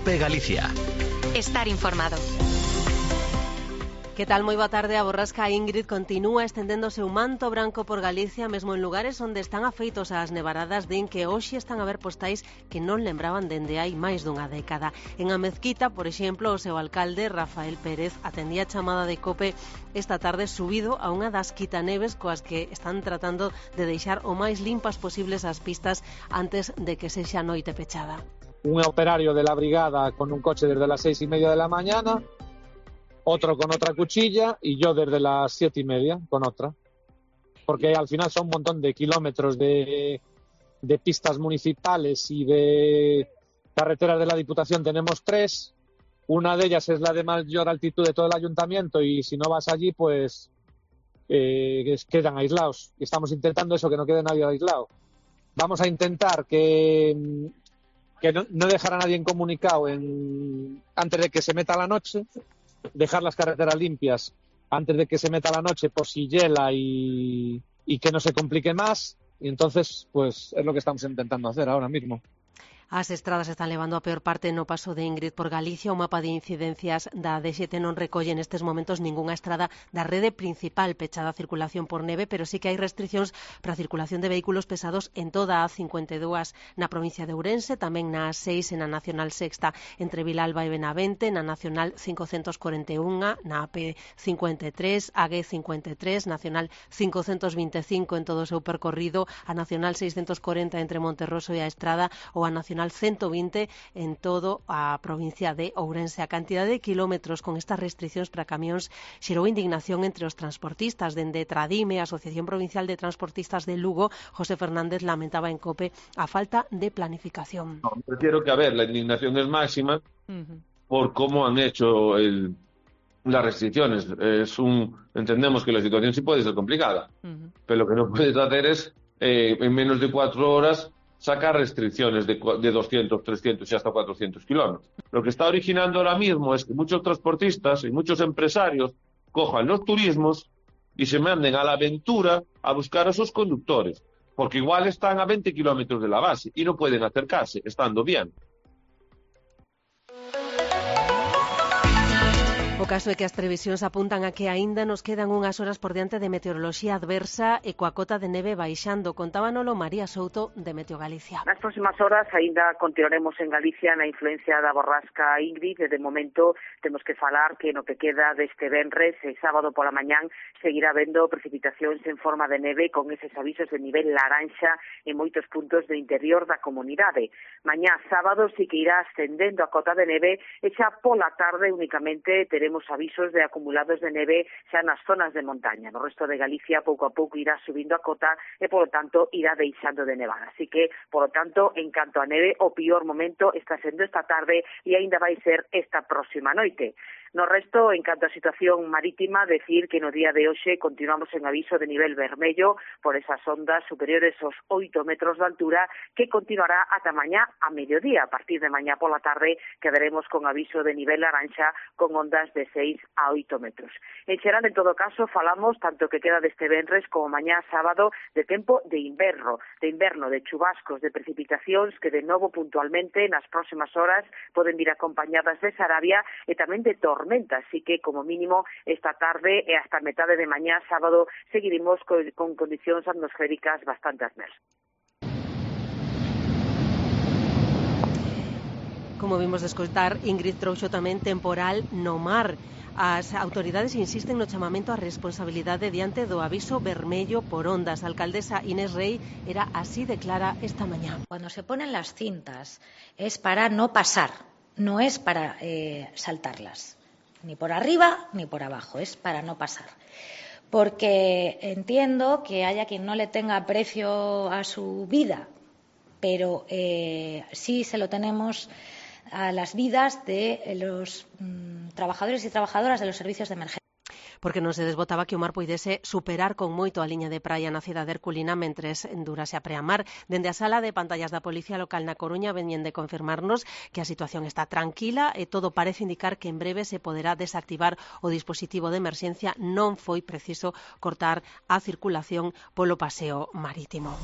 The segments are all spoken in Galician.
COPE Galicia. Estar informado. Que tal? Moi boa tarde. A borrasca Ingrid continúa estendéndose un manto branco por Galicia, mesmo en lugares onde están afeitos ás nevaradas. Din que hoxe están a ver postais que non lembraban dende hai máis dunha década. En A Mezquita, por exemplo, o seu alcalde, Rafael Pérez, atendía a chamada de COPE esta tarde subido a unha das quitaneves coas que están tratando de deixar o máis limpas posibles as pistas antes de que sexa noite pechada. Un operario de la brigada con un coche desde las 6:30 de la mañana, otro con otra cuchilla y yo desde las 7:30 con otra. Porque al final son un montón de kilómetros de pistas municipales y de carreteras de la Diputación. Tenemos 3. Una de ellas es la de mayor altitud de todo el ayuntamiento y si no vas allí, pues quedan aislados. Estamos intentando eso, que no quede nadie aislado. Vamos a intentar que no dejar a nadie incomunicado antes de que se meta la noche. Dejar las carreteras limpias antes de que se meta la noche por si hiela y que no se complique más. Y entonces, pues es lo que estamos intentando hacer ahora mismo. As estradas están levando a peor parte no paso de Ingrid por Galicia. O mapa de incidencias da D7 non recolle nestes momentos ningunha estrada da rede principal pechada a circulación por neve, pero sí que hai restriccións para a circulación de vehículos pesados en toda a A52 na provincia de Ourense, tamén na A6 e na Nacional Sexta entre Vilalba e Benavente, na Nacional 541, na AP53, a G53, Nacional 525 en todo o seu percorrido, a Nacional 640 entre Monterroso e a Estrada ou a Nacional 120 en todo a provincia de Ourense. A cantidade de kilómetros con estas restriccións para camións xerou indignación entre os transportistas. Dende Tradime, a Asociación Provincial de Transportistas de Lugo, José Fernández lamentaba en COPE a falta de planificación. No, prefiero que, a ver, la indignación es máxima por cómo han hecho las restricciones. Entendemos que la situación sí puede ser complicada, pero lo que no puedes hacer es, en menos de 4 horas, sacar restricciones de 200, 300 y hasta 400 kilómetros. Lo que está originando ahora mismo es que muchos transportistas y muchos empresarios cojan los turismos y se manden a la aventura a buscar a sus conductores, porque igual están a 20 kilómetros de la base y no pueden acercarse, estando bien. O caso é que as previsións apuntan a que aínda nos quedan unhas horas por diante de meteoroloxía adversa e coa cota de neve baixando. Contábanolo María Souto de Meteo Galicia. Nas próximas horas aínda continuaremos en Galicia na influencia da borrasca Ingrid. De momento temos que falar que no que queda deste venres e sábado pola mañán seguirá vendo precipitacións en forma de neve con eses avisos de nivel laranxa en moitos puntos do interior da comunidade. Mañá sábado sí que irá ascendendo a cota de neve e xa pola tarde únicamente teremos avisos de acumulados de neve xa nas zonas de montaña. No resto de Galicia pouco a pouco irá subindo a cota e, polo tanto, irá deixando de nevar. Así que, polo tanto, en canto a neve, o pior momento está sendo esta tarde e aínda vai ser esta próxima noite. No resto, en canto a situación marítima, decir que no día de hoxe continuamos en aviso de nivel vermello por esas ondas superiores aos 8 metros de altura que continuará ata mañá a mediodía. A partir de mañá pola tarde quedaremos con aviso de nivel laranxa con ondas de 6 a 8 metros. En xeral, en todo caso, falamos tanto que queda deste venres como mañá sábado de tempo de inverno, de chubascos, de precipitacións que de novo puntualmente nas próximas horas poden vir acompañadas de sarabia e tamén de tormenta, así que como mínimo esta tarde e hasta metade de mañá sábado seguiremos con condicións atmosféricas bastante adversas. Como vimos de escoitar, Ingrid trouxo tamén temporal no mar. As autoridades insisten no chamamento á responsabilidade diante do aviso vermello por ondas. A alcaldesa Inés Rey era así de clara esta mañá. Cuando se ponen las cintas es para no pasar, no es para saltarlas. Ni por arriba ni por abajo, es para no pasar. Porque entiendo que haya quien no le tenga aprecio a su vida, pero sí se lo tenemos a las vidas de los trabajadores y trabajadoras de los servicios de emergencia. Porque non se desbotaba que o mar poidese superar con moito a liña de praia na cidade herculina mentres durase a preamar. Dende a sala de pantallas da Policía Local na Coruña veñen de confirmarnos que a situación está tranquila e todo parece indicar que en breve se poderá desactivar o dispositivo de emerxencia. Non foi preciso cortar a circulación polo paseo marítimo.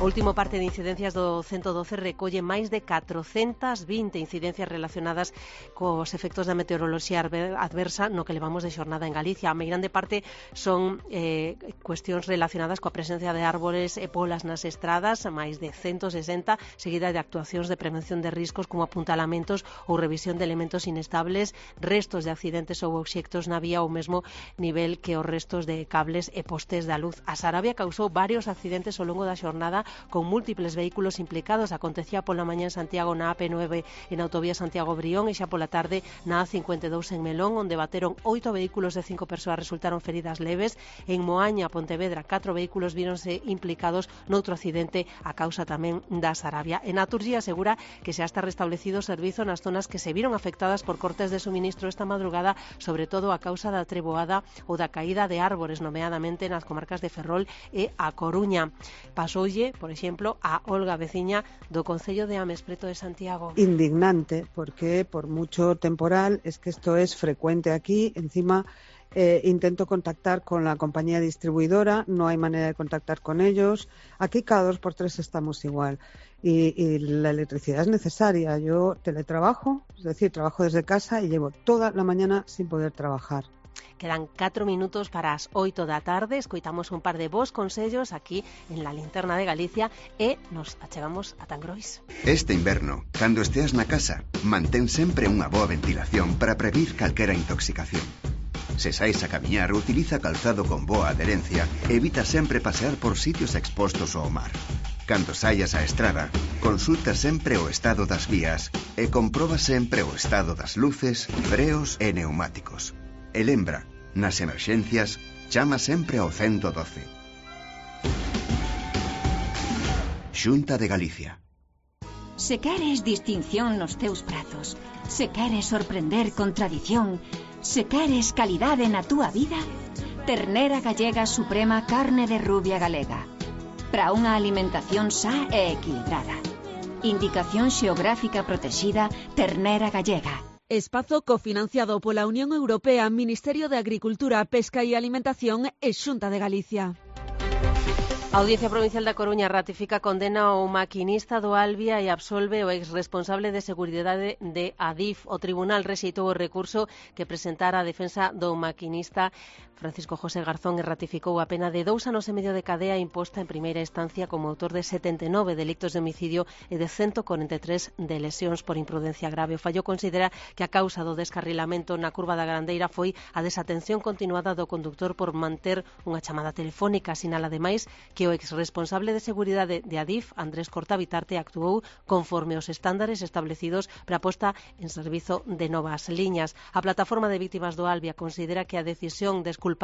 O último parte de incidencias do 112 recolle máis de 420 incidencias relacionadas cos efectos da meteoroloxía adversa no que levamos de xornada en Galicia. A moi grande parte son cuestións relacionadas coa presencia de árbores e polas nas estradas, máis de 160, seguida de actuacións de prevención de riscos como apuntalamentos ou revisión de elementos inestables, restos de accidentes ou obxectos na vía ou mesmo nivel que os restos de cables e postes da luz. A Sarabia causou varios accidentes ao longo da xornada con múltiples vehículos implicados. Acontecía pola mañá en Santiago na AP9 e na autovía Santiago-Brión e xa pola tarde na A52 en Melón, onde bateron 8 vehículos de 5 persoas resultaron feridas leves. En Moaña, Pontevedra, 4 vehículos víronse implicados noutro accidente a causa tamén da Sarabia. En Naturxía asegura que xa está restablecido o servizo nas zonas que se viron afectadas por cortes de suministro esta madrugada, sobre todo a causa da treboada ou da caída de árbores, nomeadamente nas comarcas de Ferrol e A Coruña. Pasoulle, por exemplo, a Olga, veciña do Concello de Ames, preto de Santiago. Indignante, porque por mucho temporal, es que esto es frecuente aquí, encima intento contactar con la compañía distribuidora, no hay manera de contactar con ellos, aquí cada 2 por 3 estamos igual. Y la electricidad es necesaria. Yo teletrabajo, es decir, trabajo desde casa y llevo toda la mañana sin poder trabajar. Quedan 4 minutos para as 8 da tarde. Escoitamos un par de bons consellos aquí en la Linterna de Galicia e nos achegamos a Tangrois. Este inverno, cando esteas na casa, mantén sempre unha boa ventilación para prevenir calquera intoxicación. Se sais a camiñar, utiliza calzado con boa adherencia e evita sempre pasear por sitios expostos ao mar. Cando saias á estrada, consulta sempre o estado das vías e comproba sempre o estado das luces, freos e neumáticos. E lembra, nas emerxencias, chama sempre ao 112. Xunta de Galicia. Se queres distinción nos teus pratos, se queres sorprender con tradición, se queres calidade na túa vida, Ternera Gallega Suprema Carne de Rubia Galega. Para unha alimentación xa e equilibrada. Indicación xeográfica protexida Ternera Gallega. Espazo cofinanciado pola Unión Europea, Ministerio de Agricultura, Pesca e Alimentación e Xunta de Galicia. A Audiencia Provincial da Coruña ratifica a condena ao maquinista do Albia e absolve o exresponsable de seguridade de Adif. O tribunal rexeitou o recurso que presentara a defensa do maquinista Francisco José Garzón e ratificou a pena de 2 anos e medio de cadea imposta en primeira instancia como autor de 79 delictos de homicidio e de 143 de lesións por imprudencia grave. O fallo considera que a causa do descarrilamento na curva da Grandeira foi a desatención continuada do conductor por manter unha chamada telefónica. Sinala ademais que o exresponsable de seguridade de Adif, Andrés Cortabitarte, actuou conforme os estándares establecidos para a posta en servizo de novas liñas. A plataforma de vítimas do Albia considera que a decisión de exculpar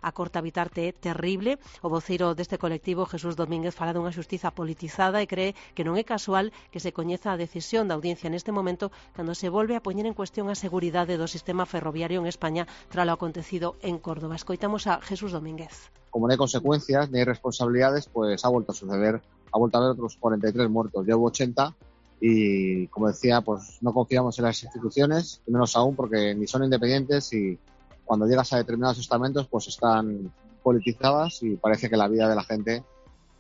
a Cortabitarte é terrible. O voceiro deste colectivo, Jesús Domínguez, fala dunha xustiza politizada e cree que non é casual que se coñeza a decisión da audiencia neste momento cando se volve a poñer en cuestión a seguridade do sistema ferroviario en España tras o acontecido en Córdoba. Escoitamos a Jesús Domínguez. Como no hay consecuencias ni hay responsabilidades, pues ha vuelto a suceder, ha vuelto a haber otros 43 muertos, ya hubo 80 y, como decía, pues no confiamos en las instituciones, y menos aún porque ni son independientes y cuando llegas a determinados estamentos pues están politizadas y parece que la vida de la gente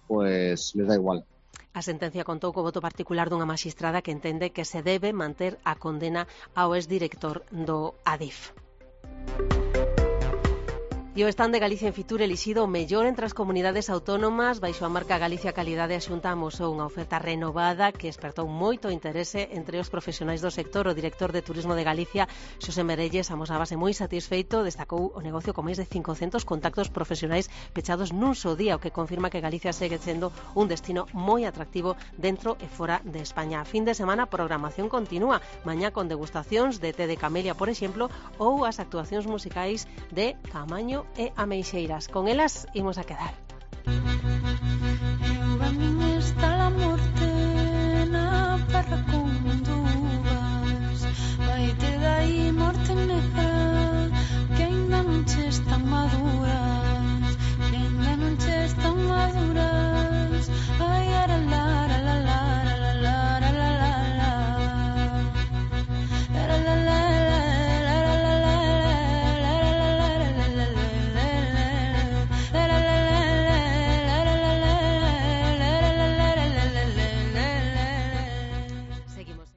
pues les da igual. A sentencia contou co voto particular dunha maxistrada que entende que se debe manter a condena ao exdirector do Adif. E o stand de Galicia en Fitur elixido o mellor entre as comunidades autónomas baixo a marca Galicia Calidade. A Xunta amosou unha oferta renovada que espertou moito interese entre os profesionais do sector. O director de Turismo de Galicia, Xosé Merelles, amosábase moi satisfeito, destacou o negocio con máis de 500 contactos profesionais pechados nun só día, o que confirma que Galicia segue sendo un destino moi atractivo dentro e fora de España. A fin de semana, a programación continúa, mañá con degustacións de té de camelia, por exemplo, ou as actuacións musicais de Camaño e Ameixeiras. Con elas imos a quedar.